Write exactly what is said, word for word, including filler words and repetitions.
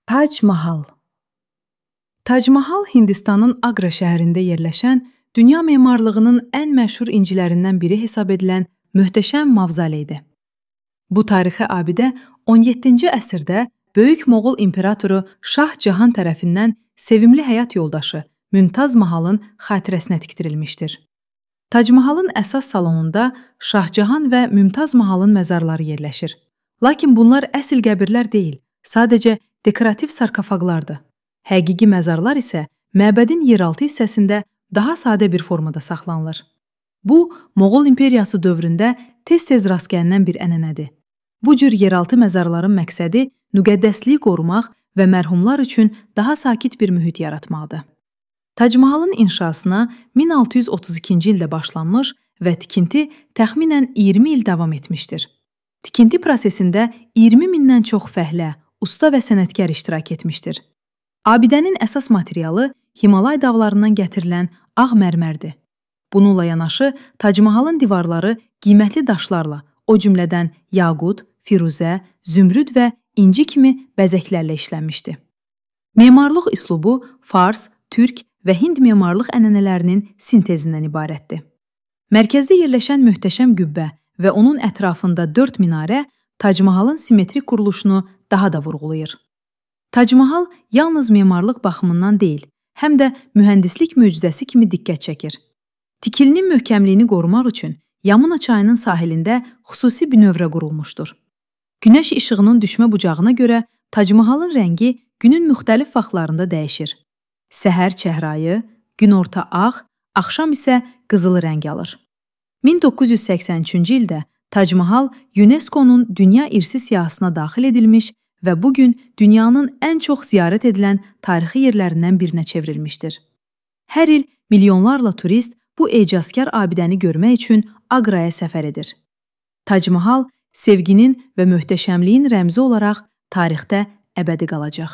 Tac Mahal. Tac Mahal Hindistanın Agra şəhərində yerləşən, dünya memarlığının ən məşhur incilərindən biri hesab edilən möhtəşəm mavzoleydir. Bu tarixi abidə on yeddinci əsrdə Böyük Moğol İmperatoru Şah Cahan tərəfindən sevimli həyat yoldaşı Mümtaz Mahalın xatirəsinə tikdirilmişdir. Tac Mahalın əsas salonunda Şah Cahan və Mümtaz Mahalın məzarları yerləşir. Lakin bunlar əsl qəbirlər deyil, sadəcə dekorativ sarkofaqlardır. Həqiqi məzarlar isə məbədin yeraltı hissəsində daha sadə bir formada saxlanılır. Bu, Moğol İmperiyası dövründə tez-tez rast gəlinən bir ənənədir. Bu cür yeraltı məzarların məqsədi müqəddəsliyi qorumaq və mərhumlar üçün daha sakit bir mühit yaratmaqdır. Tac Mahalın inşasına min altı yüz otuz ikinci ildə başlanmış və tikinti təxminən iyirmi il davam etmişdir. Tikinti prosesində iyirmi mindən çox fəhlə, usta və sənətkar iştirak etmişdir. Abidənin əsas materialı Himalay dağlarından gətirilən ağ mərmərdir. Bununla yanaşı, Tac Mahalın divarları qiymətli daşlarla, o cümlədən yaqut, firuzə, zümrüd və inci kimi bəzəklərlə işlənmişdi. Memarlıq üslubu Fars, Türk və Hind memarlıq ənənələrinin sintezindən ibarətdir. Mərkəzdə yerləşən möhtəşəm qübbə və onun ətrafında dörd minarə Tac Mahalın simmetrik quruluşunu daha da vurğulayır. Tac Mahal yalnız memarlıq baxımından deyil, həm də mühəndislik möcüzəsi kimi diqqət çəkir. Tikilinin möhkəmliyini qorumaq üçün Yamuna çayının sahilində xüsusi bir növrə qurulmuşdur. Günəş işığının düşmə bucağına görə Tac Mahalın rəngi günün müxtəlif vaxtlarında dəyişir. Səhər çəhrayı, günorta ağ, axşam isə qızılı rəng alır. min doqquz yüz səksən üçüncü ildə Tac Mahal UNESCO-nun Dünya İrsi siyahısına daxil edilmiş və bugün dünyanın ən çox ziyarət edilən tarixi yerlərindən birinə çevrilmişdir. Hər il milyonlarla turist bu ecazkar abidəni görmək üçün Aqraya səfər edir. Tac Mahal sevginin və möhtəşəmliyin rəmzi olaraq tarixdə əbədi qalacaq.